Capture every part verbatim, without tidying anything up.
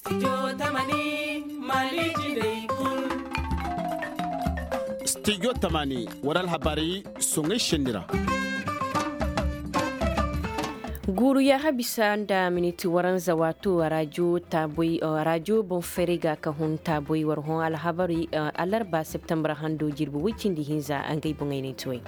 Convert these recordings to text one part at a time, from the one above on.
Stijo tamani war alhabaray soŋay senni ra. Guuru yaaha bisa nda miniti waranza waato raajo boŋ feeray ga ka hun taaboy war hõ alhabaray alarba septembar hando jirbi woy cindi hinza ngey boŋey no ay ti way.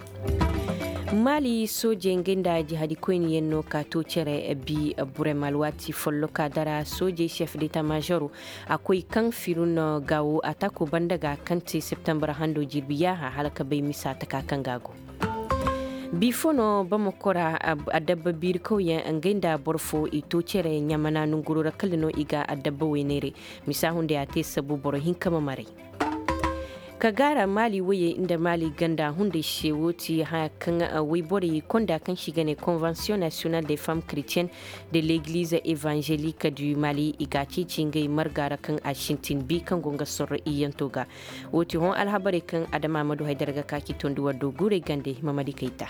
Maali soojey ngey nda jihadikoyniyaŋ no ka to cere bi burem alwaati folloka dara soojey chef deta maazoro a koy kaŋ firun gaawo ataako banda ga kaŋ te septembar hando jirbi yaaha hala ka bay misa taka kaŋ ga a go. Bifo no bamako ra adabba biirikawyaŋ ngey nda boro fo i to cere ɲamana nonguro ra kala no i ga adabba wayneeray. Misa hunday a te sabu boro hinka ma maray. Ka gaara maali wayey nda maali ganda hunday se wo ti haya kaŋ wayborey konda kaŋ se i ga ne konvensiyoŋ nasiyonal de femme kretiyenne de legliz evangelik du mali i ga a ceeci ngey marga ra kaŋ a sintin bi kaŋ go nga sorro iyyanto ga. Wo ti hõ alhabarey kaŋ adama ma du haydara ga ka ci tondi war do guurey gande hima ma di kay ta.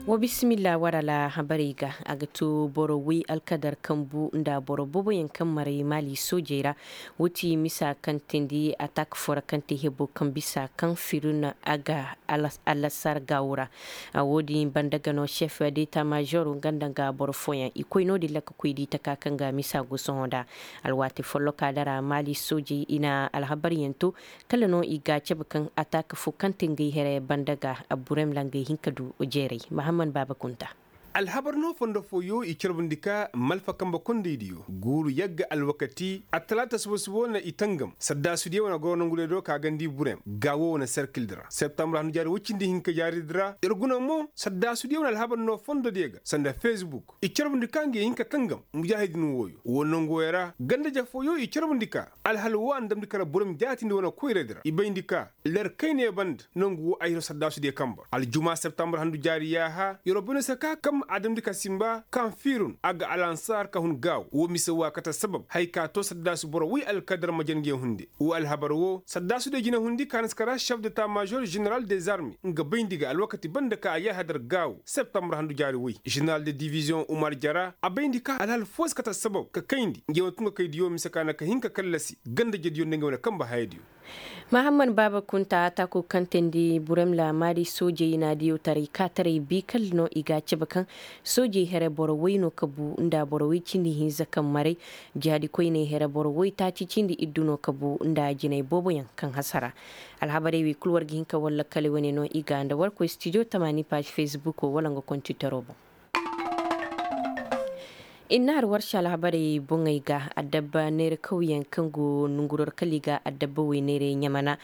Wa bisimilla war alhabarey ga a ga to boro way alkadar kambu nda boro booboyaŋ kaŋ maray maali soojey ra. Wo ti misa kaŋ teendi atak fo ra kaŋ te hebo kaŋ bisa kaŋ firun a ga alasar gaawo ra. Wo-din banda ga no chef deta maazoro nga nda nga boro fooyaŋ i koy no-din ra ka koy di taka kaŋ ga misa go sohõ nda. Alwaati folloka dara maali soojey i na alhabaryaŋ to kala no i ga a cabe kaŋ atak fo kaŋ te ngey here banda ga burem ra ngey hin ka du jeeray mahamman baaba kunta. Alhabar no fondo fooyo i carbundi ka malfa kambe kondaydiyo guuru yagga alwakati attalaata suba-suba wane i tangam saddaasudiyo wane goro nongudiyo do ka gandi burem gaawo wane serkildi ra septambur handu jaari woy cindi hinka jaaridi ra ir guna mo saddaasudiyo wane alhabar no fondodiyo ga sanda fesbuk i carbundi ka ngi ye hin ka tangam mujaahidin wooyo wo nonguwoyo ra ganda-ize fooyo i carbundi ka alhal wo a na damndi kala burem jaatindi wane koyradi ra i bayndi ka ler kayne banda nongu wo ay hiro saddaasudiyo kamba aljuma septambur handu jaari yaaha yeroo bayno se ka kam a damndi ka sinba kaŋ fiirun a ga alansaar ka hun gaaw wo mise wo a kate sabab haya ka too saddaasu boro woy alkadar ma jandiyo hunde wo alhabar wo saddaasudiyo jine hundi ka na si kara chef de ta maazor jeneral des armes nga bayndi ga alwakati banda ka a yaaha dar gaaw septambur handu jaari woy jeneral de diviziyoŋ umar jara a bayndi ka alhal foo si kate sabab ka kayndi nge wane tun ga kay diyo mise ka na ka hin ka kallasi ganda-ijediyo nda nge wane kamba hayadiyo. Mahamman baaba kunta taako kaŋ teendi burem laamaari soojey naadiyo taray kaataray bi kala no i ga a cabe kaŋ soojey here boro woy no ka bu nda boro woy cindi hinza kaŋ maray jihaadi koyney here boro woy taaci cindi iddu no ka bu nda jinay booboyaŋ kaŋ hasara. Alhabarey wey kul war ga hin ka war lakkaley wane no i ga nda war koy stijo tamaani paaz fesbuko wala nga kontitaro boŋ. Innaar warsa alhabarey boŋey ga adabba neera kawyaŋ kaŋ go nonguror kala i ga adabba wey neerey ɲamana.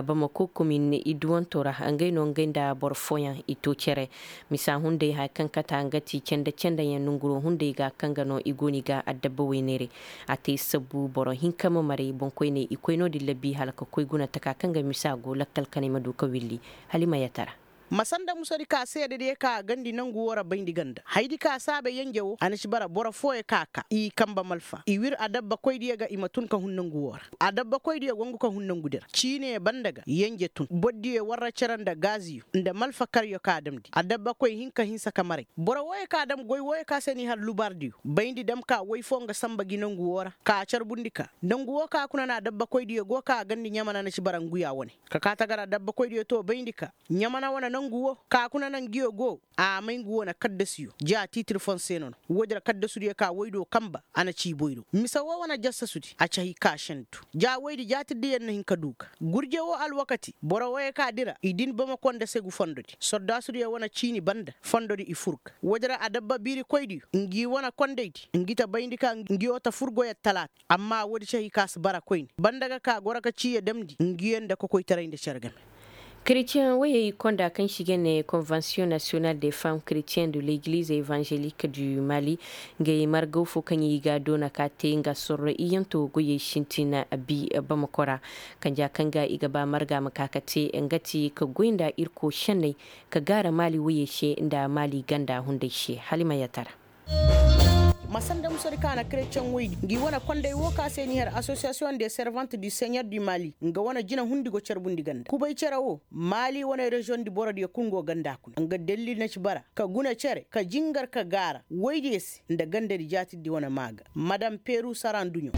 Bamako komin iduwanto ra ngey no ngey nda boro fooyaŋ i to cere. Misa hunday haya kaŋ kata nga ti canda candayaŋ nonguro hunday ga kaŋ ga no i go no i ga adabba wey neerey. A te sabbu boro hinka ma maray boŋkoyney i koy no-din labi hala ka koy guna taka kaŋ ga misa go lakkal kanay ma du ka willi. Hala i ma yatara. Ma sanda musadi ka seedediyo ka a gandi nangu woo ra bayndi ganda haydi ka saabe yenje woo a na ci bara boro fooyo ka a kaa i kamba malfa i wir adabbakoydiyo ga i ma tun ka hun nangu woo ra. Adabbakoydiyo go ngu ka hun nangudi ra ciine banda ga yenje tun bordiyo warra cere nda gaaziyo nda malfa karyo ka a damndi adabbakoy hin ka hinsa ka maray boro wooyo ka a dam goy wooyo ka se n'i har lubaardiyo bayndi dam ka woy foo nga samba gi nangu woo ra ka a carbundi ka nangu woo ka kuna na adabbakoydiyo go ka a gandi ɲamana na ci bara nguya wane ka kaa tagara adabbakoydiyo to bayndi ka ɲamana wane nangu woo ka kuna na ngiyo go a may ngu wane kaddasiyo ja tiitir foo se no no woodi ra kaddasudiyo ka woy do kamba a na ci boy do mise woo wane jassasudi a ci hay ka sentu ja woydi jaatirdiyaŋ na hin ka du ga gurje woo alwakati boro wooyo ka dira i din bamako nda segu fondodi sordaasudiyo wane ciini banda fondodi i fur ga woodi ra adabba biirikoydiyo ngi wane kondaydi ngi ta bayndi ka ngiyo ta fur goyey talaata amma woodi ci hay ka si bara koyne banda ga ka goro ka ciiyo damndi ngiyo nda kokoytaray nda cere game. Kretiyeŋ wayey konda kaŋ se i ga ne konvensiyoŋ nasiyonal de femme kretiyen de legliz evangelik du mali ngey margaw fo kaŋ i ga doona ka te nga sorro iyanto goyey sintin bi bamako ra kanja kaŋ ga i ga ba marga ma ka ka te nga ti ka goy nda irko senney ka gaara mali wayey se nda mali ganda hunday se hala i ma yatara. Ma sanda musadi ka na kerecen woydi ngi wane konday wo ka se n'i har asosiyasiyoŋ de servante du seɲor du mali nga wane jina hundi go carbundi ganda kubay cere wo. Mali wane reziyoŋ di borodiyo kul go ganda kuna nga dalil na ci bara ka guna cere ka jingar ka gaara woydiyo se nda gandadi jaatirdi wane maa ga. Madam peru sara nduɲo.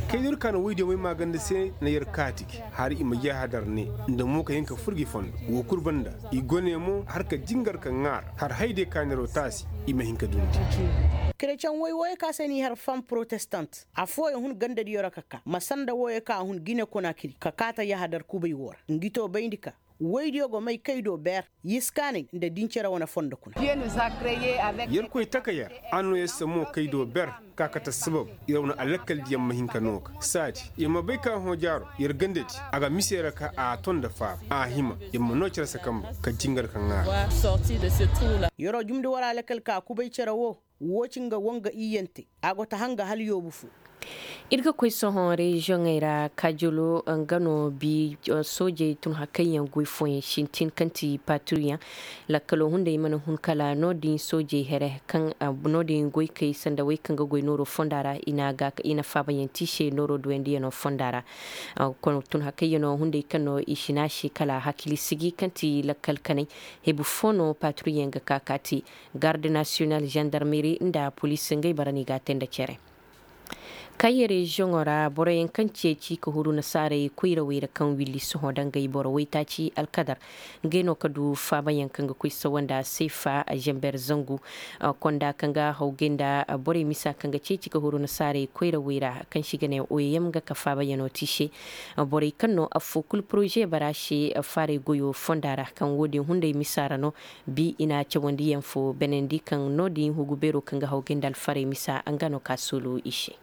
Kay no ir ka na woydiyo may maa ganda se na yer kaati gi har i ma yahadar ne nda mo ka hin ka fur gi fondo. Woo kul banda i go ne mo har ka jingar ka ŋaara har haydiyo ka neeroo taasi i ma hin ka dundi. Kerecen woy wooyo ka se n'i har fam protestant affooyaŋ hun gandadiyo ra ka kaa ma sanda wooyo ka a hun gine konakiri ka kaa ta yahadar kubay woo ra ngi too bayndi ka woydiyo go may kay do ber yiskaanay nda dincere wane fondo kuna. Yerkoy taka yer a noo yer se mo kay do ber ka kate assabab yer wane alakkaldiyaŋ ma hin ka noo ga saadi yer ma bay ka hõ jaaro yer gandadi a ga mise yer ka a ton nda faaba a hima yer ma noo cere se kambe ka jingar ka ŋaara. Yeroo jumndi war alakal ka kubay cere woo woo ci nga woo nga iyyante a go ta hanga hala yoobu foo. Ir ga koy sohõ reziyoŋey ra kajolo nga no bi soojey tun hakayyaŋ goy fooyaŋ sintin kaŋ ti paturyaŋ. Lakkalo hunday mana hun kala no-din soojey here kaŋ no-din goykey sanda wey kaŋ ga goy nooro fonda ra i na faabayaŋ te i se nooro duwayndiyano fonda ra. Tun hakayyano hunday kaŋ no i si ne a se kala hakili sigi kaŋ ti lakkal kanay hebu fo no paturyaŋ ga ka ka te garde nasiyonal zandarmeri nda poliisi ngey bara no i ga a te nda cere. Kaye reziyoŋo ra boroyaŋ kaŋ ceeci ka huru nasaarey koyrawey ra kaŋ willi sohõ dangay boro waytaaci alkadar ngey no ka du faabayaŋ kaŋ ga koy sawa nda seefa zember zangu. Konda kaŋ ga hawgay nda borey misa kaŋ ga ceeci ka huru nasaarey koyrawey ra kaŋ se i ga ne oyem nga ka faabayano te i se. Borey kaŋ no affoo kul poroze bara se faaray goyo fonda ra kaŋ wo-din hunday misa ra no. Bi i na cawandiyaŋ fo benandi kaŋ no-din hugu beero kaŋ ga hawgay nda alfarey misa nga no ka soolu i se.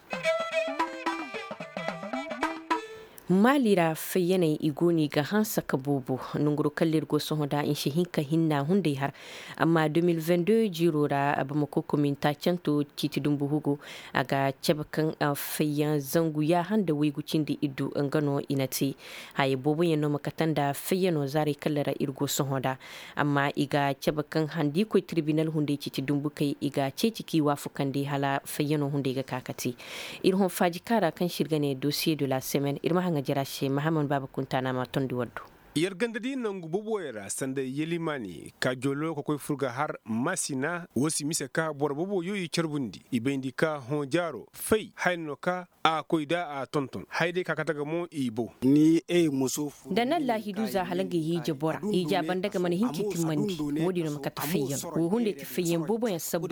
Maali ra fayyaney i go no i ga hanse ka boobo. Nonguroo kaŋ ra ir go sohõ nda i si hin ka hinna hunday har amma deux mille vingt deux jiiroo ra bamako kominta canto ciiti dumbu hugu a ga cabe kaŋ fayyaŋ zangu yaaha nda waygu cindi iddu nga no i na te. Haya booboyaŋ no ma kate nda fayyanoo zaarey kaŋ ra ir go sohõ nda. Amma i ga cabe kaŋ handi koy tirbinal hunday ciiti dumbukey i ga ceeci k'i waafakandi hala fayyanoo hunday ga ka ka te. Ir hõ faaji kaŋ ra kaŋ se ir ga ne dosiye de la semaine ir ma haŋa jara se mahaman baaba kuntaana ma tondi waddu. Yer gandadi nangu boboyo ra sanda yelimaani ka jolo ka koy fur ga har masina wo si mise ka boro boboyo i carbundi i bayndi ka hõ jaaro fay haya no ka a koy da a tonton haya day ka kate ga mo i bow. Nda na allaahidu za hala nga hiija bora hiija banda ga mana hin ka i timmandi. Wo-din no ma kate fayyan wo hunday ti fayyan booboyaŋ sabbu.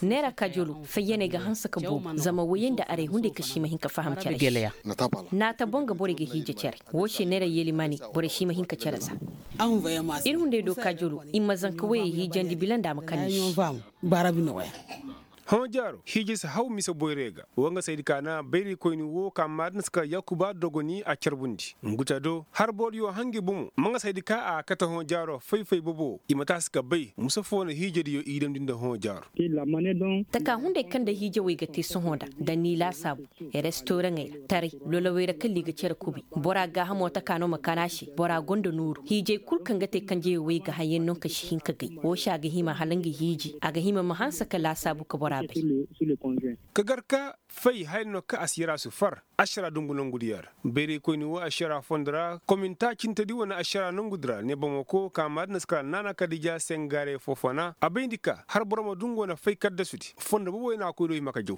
Neera kajolo fayyaney ga hanse ka boobo zama woyey nda arey hunday ka si ma hin ka faham cere se. Naata boŋ ga borey ga hiija cere. Wo se neera yelimani borey si ma hin ka cere za. Ir hunday do kajolo i ma zanka woyey hiijandi bila nda a ma kande se. Hõ jaaro hiiji si haw mise boyray ga. Wa nga saydi ka na bayraykoyni wo ka maadin si ka yakuba dogoni a carbundi ngu ta do har boro diyo hangi bomo ma nga saydi ka a kate hõ jaaro fay-fay bobo i ma taasi ka bay mise fo na hiijadiyo i damndi nda hõ jaaro. Taka hunday kaŋ nda hiijawey ga te sohõ nda nda ni laasaabu restoraŋey ra taray lolowey ra kaŋ liga cere kubay. Bora gaahamo taka no ma kana se bora gonda nooru hiijay kul kaŋ ga te kanjayey wey ga haŋ yaŋ no ka si hin ka gay wo se a ga hima hala nga hiiji a ga hima ma hanse ka laasaabu ka bora bay. Ka gar ka fay haya no ka a si yara si far ašara dungu nongudiyo ra. Bayraykoyni wo ašara fondo ra kominta cintedi wane ašara nongudi ra ne bamako ka maadina si kala naana kadija sengare fofona a bayndi ka har boro ma dungu wane fay kaddasudi fondo boboyo na a koy do hima ka jaw.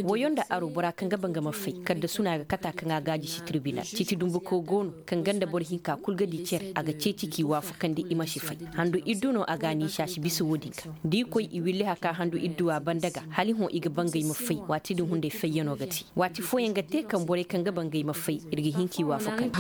Woyo nda aro bora kaŋ ga ba nga ma fay kaddasu no a ga kata kaŋ a gaaji si tirbinal ciiti dumbuko go no kaŋ ganda boro hinka kul ga di cere a ga ceeci k'i waafakandi i ma si fay. Handu iddu no a ga a niisa si bisa wo-din ga da i koy i williha ka handu idduwa banda ga hala i hõ i ga ba ngey ma fay waati din hunday fayyano ga te. Waati fooyaŋ ga te kaŋ borey kaŋ ga ba ngey ma fay ir ga hin k'i waafakandi.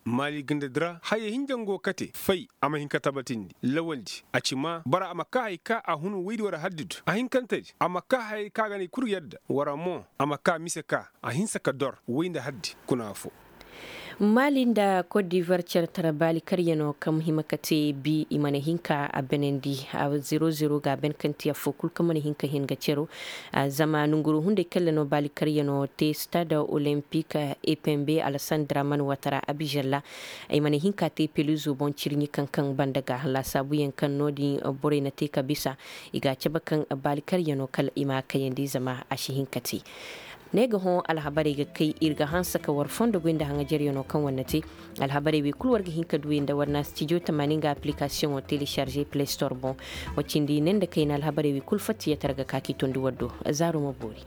Maali gandadi ra haya hinja nga go kate fay a ma hin ka tabatindi lawaldi a ci ma bora a ma kaa hay ka a hun woydi war haddidu a hinkantedi a ma kaa hayey kaŋ a ga ne i kul yadda wara mo a ma kaa mise ka a hinsa ka dor woy nda haddi kuna foo. Maali nda kot divar cere tara baali karyanoo kaŋ hima ka te bi i mana hin ka a benandi. Zero zero ga a ben kaŋ te affoo kul kaŋ mana hin ka hin ga cero. Zama nonguru hunday kaŋ ra no baali karyanoo te stade olympique epembe alasandra man watara abizella. I mana hin ka te peluzo boŋ cirɲi kaŋ kaŋ banda ga laasaabuyaŋ kaŋ no- din borey na te ka bisa. I ga a cabe kaŋ baali karyanoo kala i ma a kayandi zama a si hin ka te. Ne ga hõ alhabarey ga kay ir ga hanse ka war fondo goy nda haŋajaryanoo kaŋ war na te. Alhabarey wey kul war ga hin ka du i nda war na stijo tamaani nga aplikasiyoŋo telecharge play store boŋ. Wa cindi ne nda kayna alhabarey wey kul fatta yeetar ga ka k'i tondi war do. Zaaro ma boori.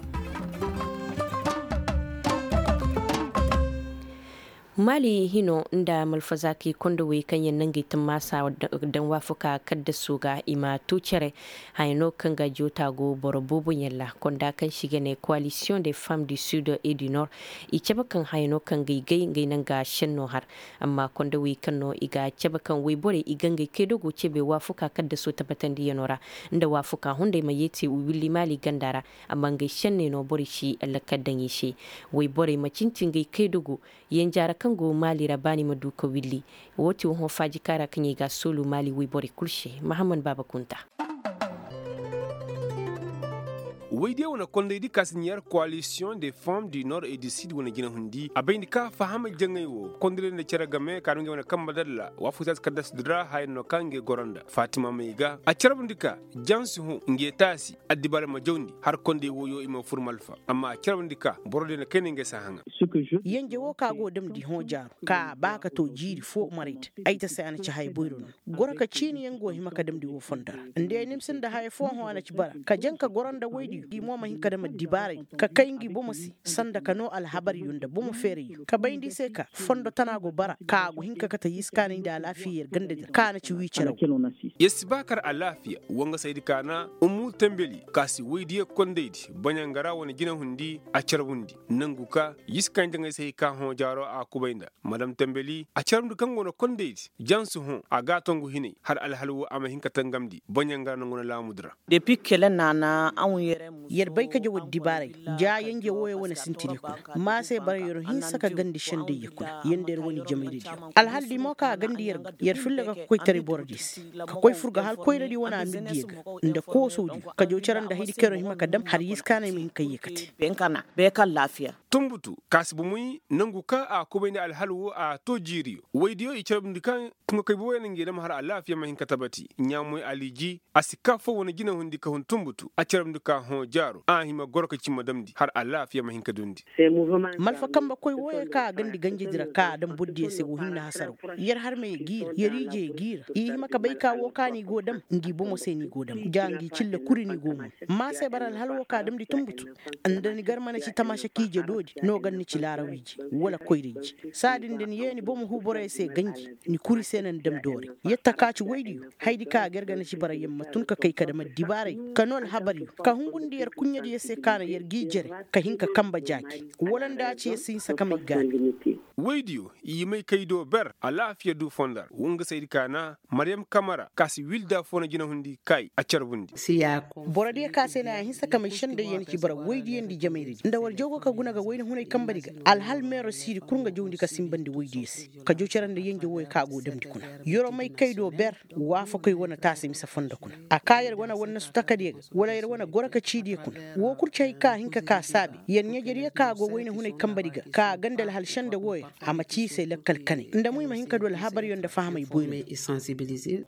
Maali hino nda malfazaakey kondowey kaŋ yaŋ na ngey tammaasa daŋ waafakaa kaddaso ga i ma too cere. Haya no kaŋ ga joota go boro boobo ɲalla konda kaŋ se i ga ne koalisiyoŋ de femme du sud et du nord. I cabe kaŋ haya no kaŋ ga i gay ngey na nga senno har. Amma kondowey kaŋ no i ga cabe kaŋ woyborey i ga ngey kaydogo cebe waafakaa kaddaso tabbatandiyanoo ra. Nda waafakaa hunday ma yeeti willi maali ganda ra. Amma ngey senney no borey si lakkal daŋ i se. Woyborey ma cinti ngey kaydogo. Yenjaara kaŋ go maali ra baani ma du ka willi. Woo ti woo hõ faaji kaara kaŋ i ga a soolu maali woy borey kul se. Mahammad baaba kunta. Woy diyo wane kondey di ka si ɲaar koalisiyoŋ de femme du nord et du sud wane jinahundi a bay nda ka fahamay jaŋay woo kondey nda cere game ka nda ngey wane kambe dalla waafakataasi kaddasu di ra haya no kaŋ ngey goro nda faatima may ga a carbundi ka jansi hõ ngey taasi. Addibaarey ma jawndi har kondey woyoo i ma fur malfa amma a carbundi ka boro diyo na kayna ngey si a haŋa. Yenje woo ka go damndi hõ jaaru ka a ba ka too jiiri foo marayda. Ay ta se a na ci haya boyro no. Goro ka ciiniyaŋ go hima ka damndi woo fondo ra. Nda ya nimsi nda haya foo hõ a na ci bara ka jaŋ ka goro nda woydiyo i mo ma hin ka dam addibaaray ka kay ngi bomo se. Sanda ka noo alhabaryo nda bomo feerayyo ka bayndi i se ka fondo tana go bara ka a go hin ka kate yiskaanay nda alaafiya yer gandadi ra ka a na ci wii cere woo. Yer si ba kar alaafiya wangasaydi kaana ummu tambeli ka si woydiyo kondaydi baɲangara wane jinahundi a carbundi nangu ka yiskaanay jaŋay se hay ka hõ jaaro a kubay nda madam tambeli a carbundi kaŋ go no kondaydi jansi hõ a ga a tongu hinay hala alhal woo a ma hin ka tangamndi baɲangara nangu na laamudi ra. Yer bay ka jaw addibaaray ja yenje wooyo wane sintidiyo kuna. Ma se bara yer hinsa ka gandi sendayyo kuna yer nda yer wane jamayradiyo alhal di mo ka a gandi yer ga yer filla ga ka koy taray borodiyo se ka koy fur ga hal koyradi wane amirdiyo ga nda koosodiyo ka jaw cere nda haydi kaŋ yer hima ka dam har yiskaanay ma hin ka ye ka te. Tunbutu ka si bomoy nangu kaŋ a kubay nda alhal woo a too jiiriyo woydiyo i carbundi kaŋ tunga kay boboyo na ngey dam har alaafiya ma hin ka tabati ɲaamoy aliji a si kaa foo wane jinahundi ka hun tunbutu a carbundi ka hõ jaaro a hima goro ka cimma damndi har alaafiya ma hin ka dundi. Malfa kambe koy wooyo kaŋ a gandi ganjedi ra kaŋ a dam bordiyo se woo hinne hasaraw yer harmey ga i ra yer ijey ga i ra i hima ka bay ka woo kaŋ ni go dam ngi bomo se ni go dam ja ngi cille kuri ni go mun. Ma se bara alhal woo kaŋ a damndi tunbutu nda ni gar mana ci tamaasa ka ije doodi no gar ni ci laaraw ije wala koyra ije saadin da ni yee ni bomo huu boroyo se ganji ni kuri se na ni dam doori. Yer ta ka ci woydiyo haydi kaŋ a ga yer ga na ci bara yer ma tun ka kay ka dam addibaaray ka noo alhabaryo ka hungundi yer kuɲɲadiyo se kaŋ na yer g'i jere ka hin ka kambe jaaji wala nda a ci yer si hinsa ka may gaani. Woydiyo i may kay do ber alaafiya du fondo ra wangasaydi kaana maryam kamara ka si wilda foo na jinahundi kaay a carbundi. Borodiyo ka se na a hinsa ka may sendayyo na ci bara woydiyo nda jamayradi nda war jaw go ka guna ga wayna hunay kambedi ga alhal meero siidi kul nga jawndi ka sinbandi woydiyo se ka jaw cere nda yenje wooyo kaŋ a go damndi kuna. Yeroo may kay do ber waafakoy wane taasi mise fondo kuna a kaa yer wane wannasu takadiyo ga wala yer wane goro ka ciidiyo kuna woo kul ci hay kaŋ a hin ka kaa saabi yer ɲajediyo kaŋ a go wayna hunay kambedi ga ka a ganda alhal senda wooyo a ma ci i se lakkal kanay nda mo i ma hin ka du alhabaryo nda fahamay boyro.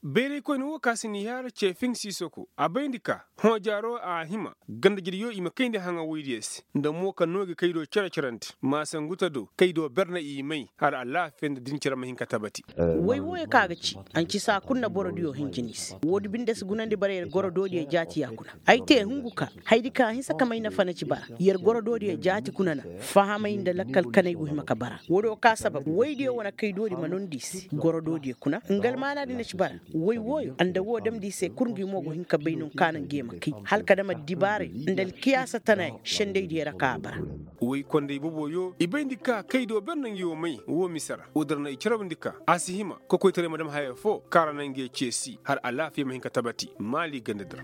Bayraykoyne woo ka si ni yaara ceefiŋ siisoko a bayndi ka hõ jaaro a hima gandajediyo i ma kayndi haŋa woydiyo se nda mo ka noogi kaydo cere-cerandi maasanguta do kaydo ber na i may har alaafiya nda din cere ma hin ka tabati. Woy wooyo kaŋ a ga ci a na ci saa kul na borodiyo hinjini se woodi binde si gunandi bara yer gorodoodiyo jaati ya kuna. Ay te hungu ka haydi kaŋ a hinsa ka may nafa na ci bara yer gorodoodiyo jaati kuna na fahamay nda lakkal kanay go hima ka bara woodiyo ka sabab woydiyo wane kaydoodi ma nondi i se gorodoodiyo kuna nga almaanaadi na ci bara woy wooyo nda woo damndi i se kul ngi mo go hin ka bay no kaŋ a na ngi ye ma kay hala ka dam addibaaray nda alkiyaasa tanayaŋ sendaydiyo ra kaŋ a bara. Woy konday boboyo i bayndi ka kaydo ber na ngi wo may woo mise ra woodi ra no i carabndi ka a si hima kokoytaray ma dam haya foo kaŋ ra na ngi ye ceesi har alaafiya ma hin ka tabati maali gandadi ra.